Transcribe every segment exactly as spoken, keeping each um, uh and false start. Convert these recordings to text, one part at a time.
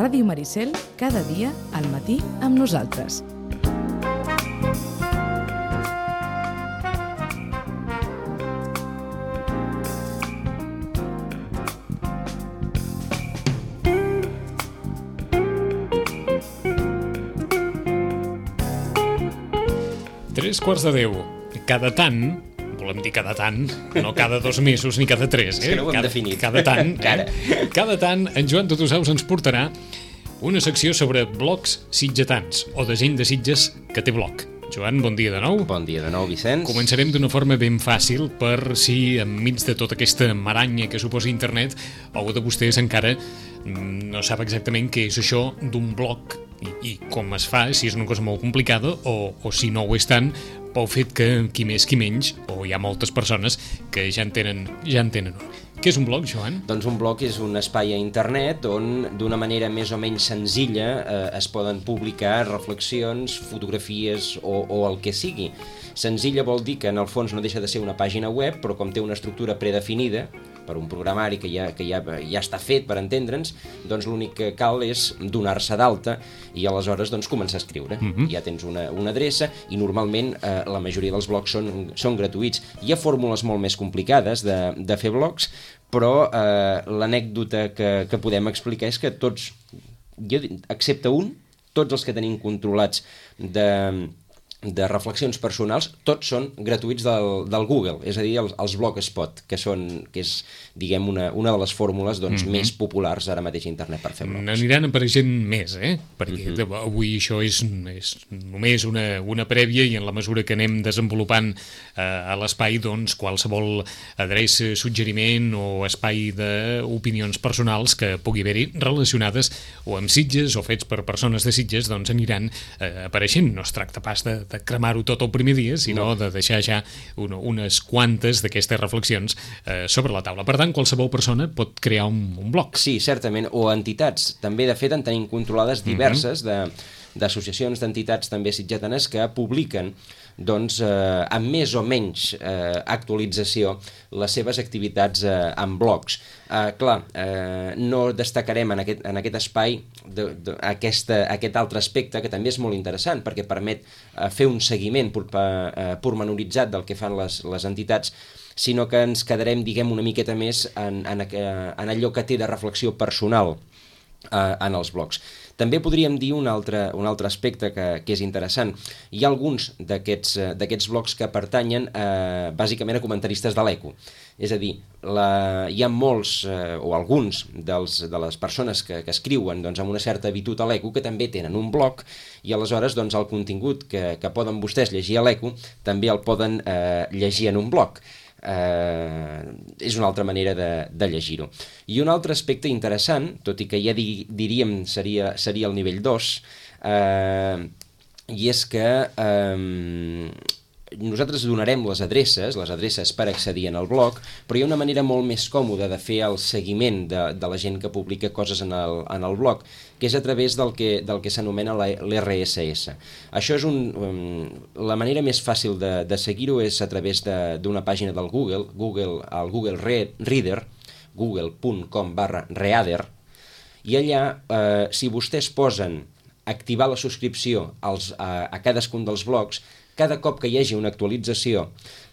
Ràdio Maricel, cada dia al matí amb nosaltres. Tres quarts de deu. Cada tant, volem dir cada tant, no cada dos mesos ni cada tres, eh? Sí, no ho hem cada, definit. Cada tant, eh? Cada tant, en Joan Totosaus ens portarà una secció sobre blogs sitgetans, o de gent de Sitges que té blog. Joan, bon dia de nou. Bon dia de nou, Vicenç. Començarem d'una forma ben fàcil per si, enmig de tota aquesta maranya que suposa internet, algú de vostès encara no sap exactament què és això d'un blog i, i com es fa, si és una cosa molt complicada o, o si no ho és tant, pel fet que qui més qui menys, o hi ha moltes persones que ja en tenen, ja en tenen un. Què és un blog, Joan? Doncs un blog és un espai a internet on d'una manera més o menys senzilla eh, es poden publicar reflexions, fotografies o, o el que sigui. Senzilla vol dir que en el fons no deixa de ser una pàgina web, però com té una estructura predefinida per un programari que ja, que ja, ja està fet per entendre'ns, doncs l'únic que cal és donar-se d'alta i aleshores doncs, començar a escriure. Uh-huh. Ja tens una, una adreça i normalment eh, la majoria dels blogs són, són gratuïts. Hi ha fórmules molt més complicades de, de fer blogs, però eh, l'anècdota que, que podem explicar és que tots, jo, excepte un, tots els que tenim controlats de... de reflexions personals, tots són gratuïts del, del Google, és a dir, els, els Blogspot, que són, que és, diguem, una, una de les fórmules doncs, mm-hmm. més populars ara mateix a internet per fer blogs. N'aniran apareixent més, eh? Perquè mm-hmm. avui això és, és només una, una prèvia i en la mesura que anem desenvolupant eh, a l'espai, doncs, qualsevol adreça, suggeriment o espai d'opinions personals que pugui haver-hi relacionades o amb Sitges o fets per persones de Sitges, doncs aniran eh, apareixent. No es tracta pas de de cremar-ho tot el primer dia, sinó no. de deixar ja una, unes quantes d'aquestes reflexions eh, sobre la taula. Per tant, qualsevol persona pot crear un, un blog. Sí, certament, o entitats. També, de fet, en tenim controlades diverses mm-hmm. de, d'associacions d'entitats també sitgetanes que publiquen doncs, eh, amb més o menys eh, actualització les seves activitats eh, en blogs. Eh, clar, eh, no destacarem en aquest, en aquest espai de, de, aquesta, aquest altre aspecte que també és molt interessant perquè permet eh, fer un seguiment por, eh, pormenoritzat del que fan les, les entitats, sinó que ens quedarem, diguem, una miqueta més en, en, en allò que té de reflexió personal eh, en els blogs. També podríem dir un altre, un altre aspecte que, que és interessant. Hi ha alguns d'aquests d'aquests blogs que pertanyen eh, bàsicament a comentaristes de l'Eco. És a dir, la, hi ha molts eh, o alguns dels, de les persones que, que escriuen doncs, amb una certa habitud a l'Eco que també tenen un blog i aleshores doncs, el contingut que, que poden vostès llegir a l'Eco també el poden eh, llegir en un blog. Eh, és una altra manera de, de llegir-ho. I un altre aspecte interessant, tot i que ja di, diríem seria, seria el nivell dos, eh, i és que eh, nosaltres donarem les adreces, les adreces per accedir en el blog, però hi ha una manera molt més còmoda de fer el seguiment de, de la gent que publica coses en el, en el blog, que és a través del que, del que s'anomena l'R S S. Això és un, um, la manera més fàcil de, de seguir-ho és a través d'una pàgina del Google, Google el Google Reader, google punt com barra reader, i allà, eh, si vostès posen activar la subscripció als, a, a cadascun dels blogs, cada cop que hi hagi una actualització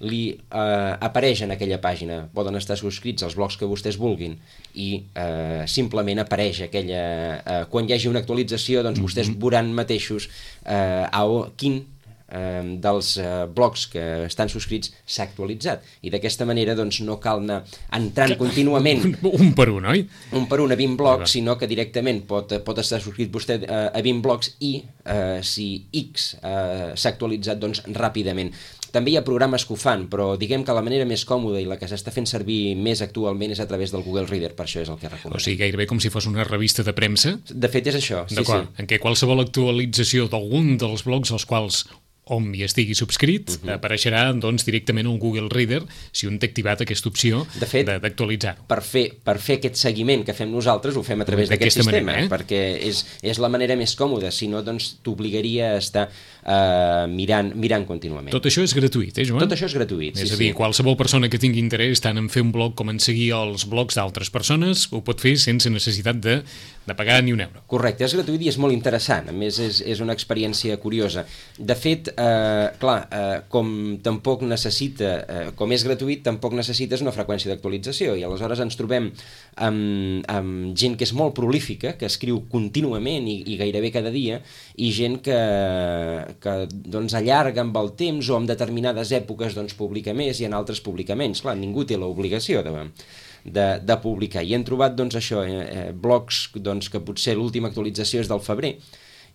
li eh, apareix en aquella pàgina. Poden estar subscrits als blogs que vostès vulguin i eh, simplement apareix aquella... Eh, quan hi hagi una actualització, doncs mm-hmm. vostès veuran mateixos eh, a quin eh, dels eh, blogs que estan subscrits s'ha actualitzat. I d'aquesta manera doncs, no cal anar entrant contínuament... Un, un per un, oi? Un per un a vint blogs, sinó que directament pot, pot estar subscrit vostè eh, a vint blogs i eh, si X eh, s'ha actualitzat, doncs ràpidament. També hi ha programes que ho fan, però diguem que la manera més còmoda i la que s'està fent servir més actualment és a través del Google Reader, per això és el que recomanem. O sigui, gairebé com si fos una revista de premsa? De fet és això, sí, sí. En què qualsevol actualització d'algun dels blogs als quals on hi estigui subscrit, uh-huh. apareixerà doncs, directament un Google Reader si un té activat aquesta opció d'actualitzar-ho. Per fer, per fer aquest seguiment que fem nosaltres ho fem a través d'aquest sistema, manera, eh? perquè és, és la manera més còmoda, si no doncs t'obligaria a estar uh, mirant, mirant contínuament. Tot això és gratuït, eh, Joan? Tot això és gratuït, és sí, a dir, sí. Qualsevol persona que tingui interès tant en fer un blog com en seguir els blogs d'altres persones ho pot fer sense necessitat de de pagar ni un euro. Correcte, és gratuït i és molt interessant, a més és, és una experiència curiosa. De fet, eh, clar, eh, com tampoc necessita, eh, com és gratuït, tampoc necessites una freqüència d'actualització, i aleshores ens trobem amb, amb gent que és molt prolífica, que escriu contínuament i, i gairebé cada dia, i gent que, que doncs, allarga amb el temps o en determinades èpoques doncs, publica més i en altres publica menys. Clar, ningú té l'obligació de... De, de publicar, i hem trobat doncs això, eh, blogs doncs, que potser l'última actualització és del febrer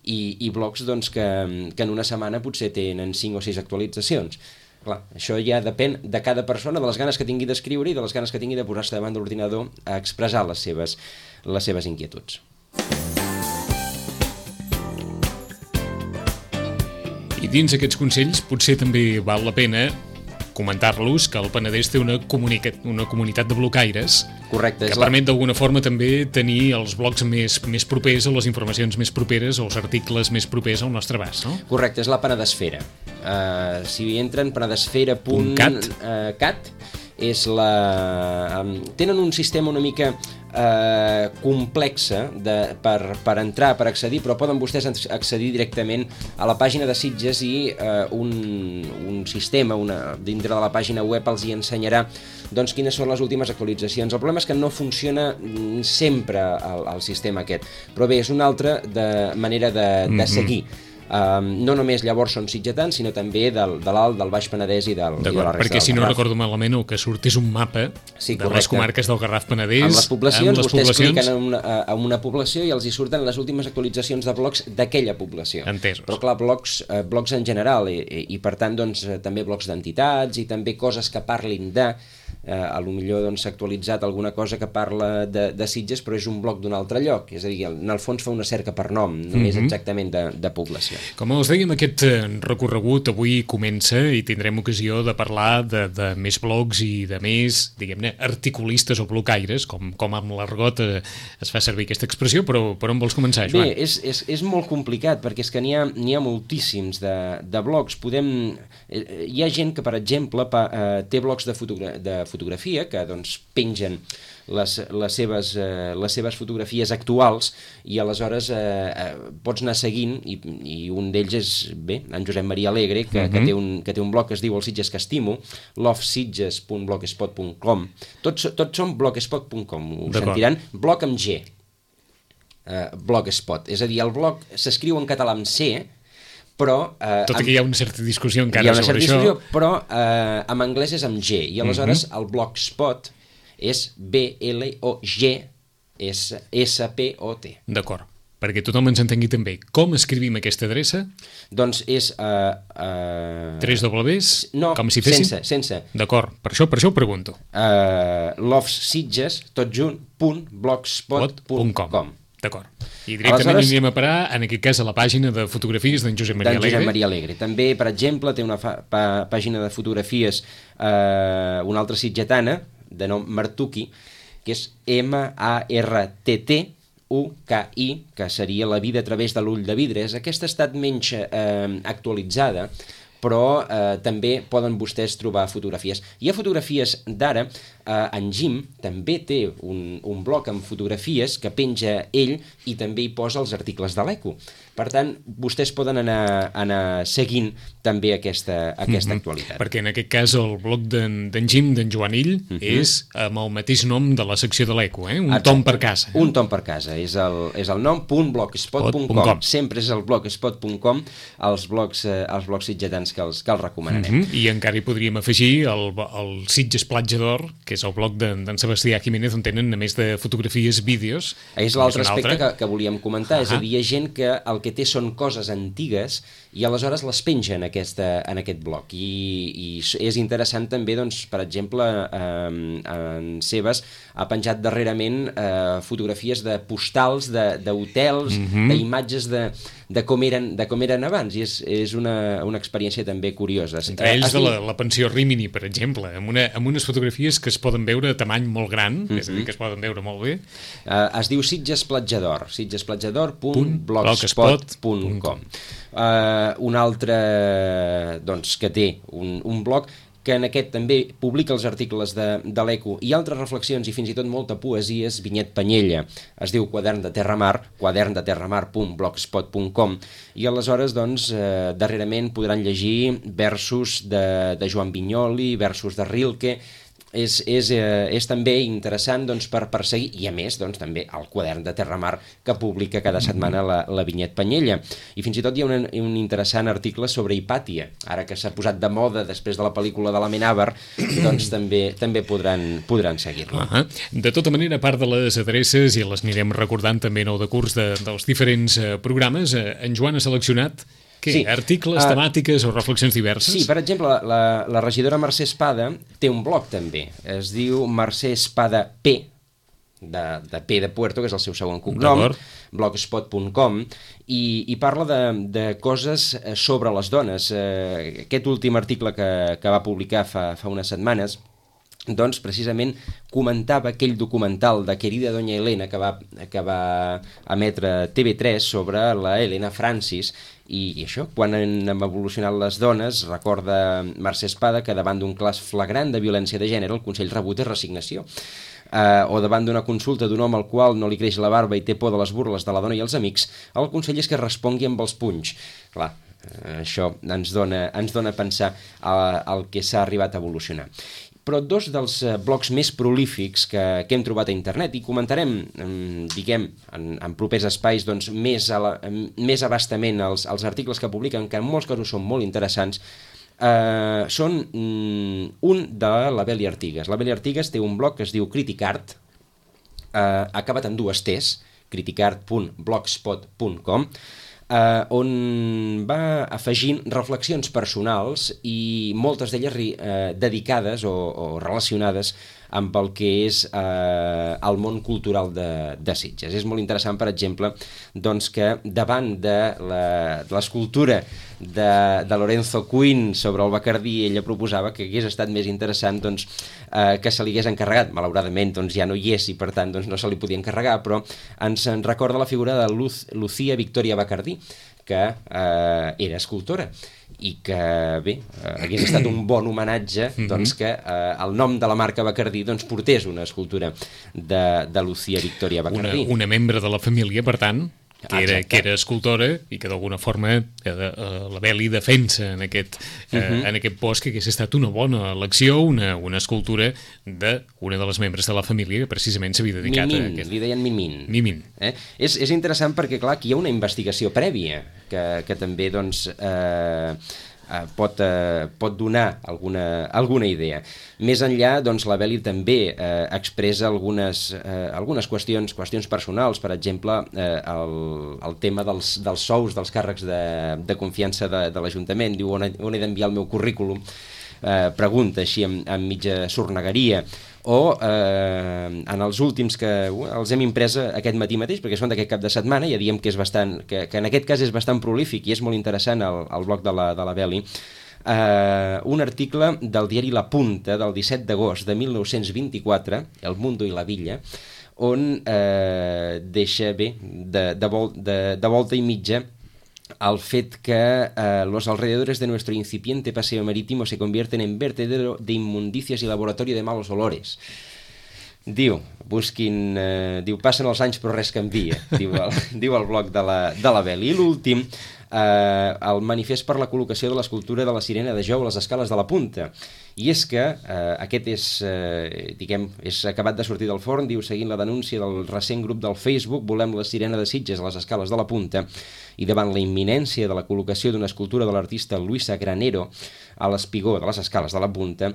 i, i blogs doncs, que, que en una setmana potser tenen cinc o sis actualitzacions. Clar, això ja depèn de cada persona, de les ganes que tingui d'escriure i de les ganes que tingui de posar-se davant de l'ordinador a expressar les seves, les seves inquietuds. I dins aquests consells potser també val la pena comentar-los que el Penedès té una, una comunitat de blocaires. Correcte, que permet la... d'alguna forma també tenir els blogs més, més propers o les informacions més properes o els articles més propers al nostre abast, no? Correcte, és la Penedesfera. Uh, si entren penedesfera punt cat, és la... Um, tenen un sistema una mica eh, complexa de, per, per entrar, per accedir, però poden vostès accedir directament a la pàgina de Sitges i eh, un, un sistema una, dintre de la pàgina web els hi ensenyarà doncs, quines són les últimes actualitzacions. El problema és que no funciona sempre el, el sistema aquest, però bé, és una altra de manera de, de seguir. Um, no només llavors són sitgetans, sinó també del, de l'Alt, del Baix Penedès i, del, i de la resta perquè del si no Garraf. Recordo malament el que surt és un mapa sí, de les comarques del Garraf Penedès amb les poblacions, amb les vostès poblacions... cliquen en una, en una població i els hi surten les últimes actualitzacions de blogs d'aquella població. Entesos. Però clar, blogs, eh, blogs en general i, i, i per tant doncs, també blogs d'entitats i també coses que parlin de eh, a lo millor doncs, s'ha actualitzat alguna cosa que parla de, de Sitges però és un blog d'un altre lloc, és a dir, en el fons fa una cerca per nom, no mm-hmm. és exactament de, de població. Com els dèiem, aquest recorregut avui comença i tindrem ocasió de parlar de, de més blogs i de més, diguem-ne, articulistes o blocaires, com, com amb l'argot eh, es fa servir aquesta expressió, però per on vols començar, Joan? Bé, és, és, és molt complicat, perquè és que n'hi ha, n'hi ha moltíssims de, de blogs. Podem... Eh, hi ha gent que, per exemple, pa, eh, té blogs de, fotogra de fotografia, que doncs pengen les, les, seves, eh, les seves fotografies actuals i aleshores eh, eh, pots anar seguint i, i un d'ells és, bé, en Josep Maria Alegre, que, uh-huh. que, té un, que té un blog que es diu El Sitges que estimo, love sitges punt blogspot punt com. Tots, tots són blogspot punt com, ho sentiran, blog amb G, uh, blogspot, és a dir, el blog s'escriu en català amb C, però... Eh, Tot i que hi ha una certa discussió encara hi ha una sobre certa això. Discussió, però eh, en anglès és amb G, i aleshores uh-huh. el blogspot és B L O G S P O T. D'acord, perquè tothom ens entengui també. Com escrivim aquesta adreça? Doncs és... Uh, uh... Tres dobles? No, com si fessin? sense, sense. D'acord, per això, per això ho pregunto. Uh, lovesitges, tot junt, punt blogspot punt com. D'acord. I directament aleshores, anirem a parar, en aquest cas, a la pàgina de fotografies d'en Josep Maria Alegre. Josep Maria Alegre. També, per exemple, té una fa, pa, pàgina de fotografies, eh, una altra sitgetana, de nom Martuki, que és M A R T T U K I, que seria La vida a través de l'ull de vidres. Aquesta ha estat menys eh, actualitzada, però eh, també poden vostès trobar fotografies. Hi ha fotografies d'ara, eh, en Jim també té un, un blog amb fotografies que penja ell i també hi posa els articles de l'Eco. Per tant, vostès poden anar, anar seguint també aquesta, aquesta mm-hmm. actualitat. Perquè en aquest cas el blog d'en Jim, d'en Joan Ill, mm-hmm. és amb el mateix nom de la secció de l'Eco, eh? un Exacte. tom per casa. Eh? Un tom per casa, és el, és el nom punt blogspot punt com. Sempre és el blogspot punt com, els blogs, eh, els blogs sitgetans que els, que els recomanarem. Mm-hmm. I encara hi podríem afegir el, el Sitges Platja d'Or, que és el blog d'en Sebastià Jiménez, on tenen, a més de fotografies, vídeos. És l'altre aspecte que, que volíem comentar, uh-huh. és a dir, hi ha gent que el que té són coses antigues i aleshores les penja en, aquesta, en aquest blog. I, i és interessant també, doncs, per exemple, eh, en Sebas ha penjat darrerament eh, fotografies de postals, d'hotels, uh-huh. d'imatges de, de, com eren, de com eren abans, i és, és una, una experiència també curiosa. Entre ells de la, la pensió Rimini, per exemple, amb, una, amb unes fotografies que es poden veure a tamany molt gran, uh-huh. és a dir, que es poden veure molt bé. Uh, es diu Sitges Platja d'Or, sitgesplatjador punt blogspot punt com. Uh, un altre doncs, que té un, un blog que en aquest també publica els articles de, de l'Eco i altres reflexions i fins i tot molta poesia, és Vinyet Panyella. Es diu Quadern de Terramar, quadern de terramar punt blogspot punt com, i aleshores, doncs, eh, darrerament podran llegir versos de, de Joan Vinyoli, versos de Rilke. És, és, eh, és també interessant, doncs, per, per seguir, i a més, doncs, també el Quadern de Terramar que publica cada setmana la, la Vinyet Panyella. I fins i tot hi ha un, un interessant article sobre Hipàtia, ara que s'ha posat de moda després de la pel·lícula de l'Amenàbar, doncs també també podran, podran seguir-lo. Uh -huh. De tota manera, a part de les adreces, i les anirem recordant també nou de curs de, dels diferents eh, programes, eh, en Joan ha seleccionat què? Sí. Articles, uh, temàtiques o reflexions diverses? Sí, per exemple, la, la, la regidora Mercè Espada té un blog també. Es diu Mercè Espada P, de, de P de Puerto, que és el seu segon cognom, blogspot punt com, i, i parla de, de coses sobre les dones. Eh, aquest últim article que, que va publicar fa, fa unes setmanes, doncs precisament comentava aquell documental de Querida Doña Elena que va, que va emetre T V tres sobre la Helena Francis, i, i això, quan han evolucionat les dones, recorda Mercè Espada que davant d'un cas flagrant de violència de gènere el Consell rebut és resignació. Uh, o davant d'una consulta d'un home al qual no li creix la barba i té por de les burles de la dona i els amics, el consell és que respongui amb els punys. Clar, uh, això ens dona, ens dona a pensar al que s'ha arribat a evolucionar. Però dos dels blogs més prolífics que, que hem trobat a internet, i comentarem, diguem, en, en propers espais, doncs, més, a la, més abastament els, els articles que publiquen, que en molts casos són molt interessants, eh, són mm, un de la Beli Artigas. La Beli Artigas té un blog que es diu Criticart, eh, acabat en dues T's, criticart punt blogspot punt com, Uh, on va afegint reflexions personals i moltes d'elles uh, dedicades o, o relacionades amb el que és eh, el món cultural de, de Sitges. És molt interessant, per exemple, doncs, que davant de l'escultura de, de Lorenzo Quinn sobre el Bacardí, ella proposava que hagués estat més interessant, doncs, eh, que se li hagués encarregat. Malauradament, doncs, ja no hi és i, per tant, doncs, no se li podia encarregar, però ens en recorda la figura de Luz, Lucía Victoria Bacardí, que eh, era escultora i que, bé, eh, hagués estat un bon homenatge, doncs, que eh, el nom de la marca Bacardí, doncs, portés una escultura de, de Lucía Victoria Bacardí. Una, una membre de la família, per tant, que era, que era escultora i que d'alguna forma eh, eh, la Beli defensa en aquest, eh, uh-huh. en aquest post que hagués estat una bona elecció, una, una escultura d'una de les membres de la família que precisament s'havia dedicat Mimin, a aquest... li deien Mimin. Mimin. Eh? És, és interessant perquè, clar, aquí hi ha una investigació prèvia que, que també, doncs... Eh, Uh, pot, uh, pot donar alguna, alguna idea. Més enllà, doncs, la Beli també uh, expressa algunes, uh, algunes qüestions, qüestions personals, per exemple, uh, el, el tema dels, dels sous dels càrrecs de, de confiança de, de l'Ajuntament. Diu, on he, on he d'enviar el meu currículum? Uh, pregunta així amb, amb mitja sornegueria. O eh, en els últims que uh, els hem imprès aquest matí mateix, perquè són d'aquest cap de setmana, ja diem que és bastant, que, que en aquest cas és bastant prolífic i és molt interessant el, el blog de la, de la Beli, eh, un article del diari La Punta del disset d'agost de mil nou-cents vint-i-quatre, El Mundo i la Villa, on eh, deixa bé de, de, vol, de, de volta i mitja al fet que eh, los alrededores de nuestro incipiente paseo marítimo se convierten en vertedero de inmundicias y laboratorio de malos olores. Diu, busquin... Eh, diu, passen els anys però res canvia, diu el, diu el blog de la, de la Beli. I l'últim, eh, el manifest per la col·locació de l'escultura de la Sirena de Jou a les escales de la Punta. I és que eh, aquest és, eh, diguem, és acabat de sortir del forn, diu, seguint la denúncia del recent grup del Facebook Volem la Sirena de Sitges a les escales de la Punta, i davant la imminència de la col·locació d'una escultura de l'artista Luisa Granero a l'espigó de les escales de la Punta,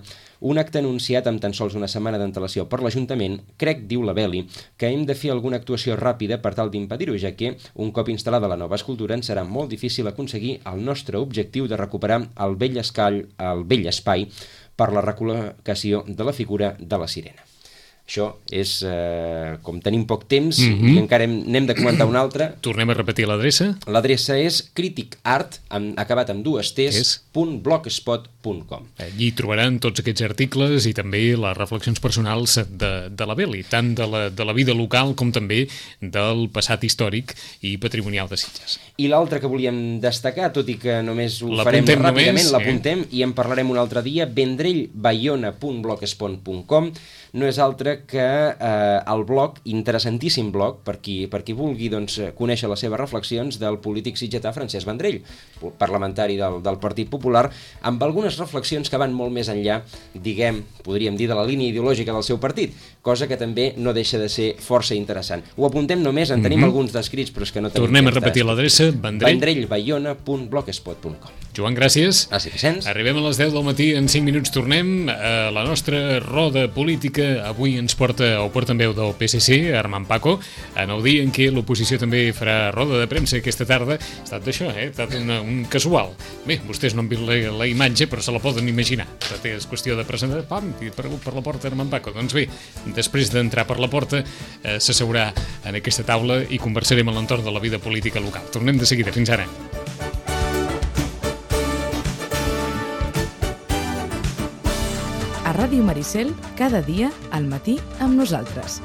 un acte anunciat amb tan sols una setmana d'antelació per l'Ajuntament, crec, diu la Beli, que hem de fer alguna actuació ràpida per tal d'impedir-ho, ja que, un cop instal·lada la nova escultura, ens serà molt difícil aconseguir el nostre objectiu de recuperar el vell escall, el vell espai per la recol·locació de la figura de la Sirena. Això és, eh, com tenim poc temps, Mhm. i encara hem, n'hem de comentar una altra. Tornem a repetir l'adreça. L'adreça és criticart, amb, acabat amb dues T's, És? punt blogspot punt com. Allí trobaran tots aquests articles i també les reflexions personals de, de la Beli, tant de la, de la vida local com també del passat històric i patrimonial de Sitges. I l'altre que volíem destacar, tot i que només ho L'apuntem farem ràpidament, només, l'apuntem i en parlarem un altre dia, vendrellbayona punt blogspot punt com. No és altre que eh, el blog, interessantíssim blog, per qui, per qui vulgui doncs, conèixer les seves reflexions, del polític sitgetà Francesc Vendrell, parlamentari del, del Partit Popular, amb algunes reflexions que van molt més enllà, diguem, podríem dir, de la línia ideològica del seu partit, cosa que també no deixa de ser força interessant. Ho apuntem només, en tenim mm-hmm. alguns descrits, però és que no tenim... Tornem a repetir l'adreça, Vendrell. vendrellbayona punt blogspot punt com. Joan, gràcies. Gràcies, Vicenç. Arribem a les deu del matí, en cinc minuts tornem a la nostra roda política. Avui ens porta, o porta en veu del P S C, Armand Paco, en el dia en què l'oposició també farà roda de premsa aquesta tarda. Ha estat d'això, eh? Ha estat una, un casual. Bé, vostès no han vist la, la imatge, però se la poden imaginar. És qüestió de presentar, pam, i per, per la porta Armand Paco. Doncs bé, després d'entrar per la porta, eh, s'asseurà en aquesta taula i conversarem a l'entorn de la vida política local. Tornem de seguida. Fins ara. A Ràdio Maricel, cada dia al matí amb nosaltres.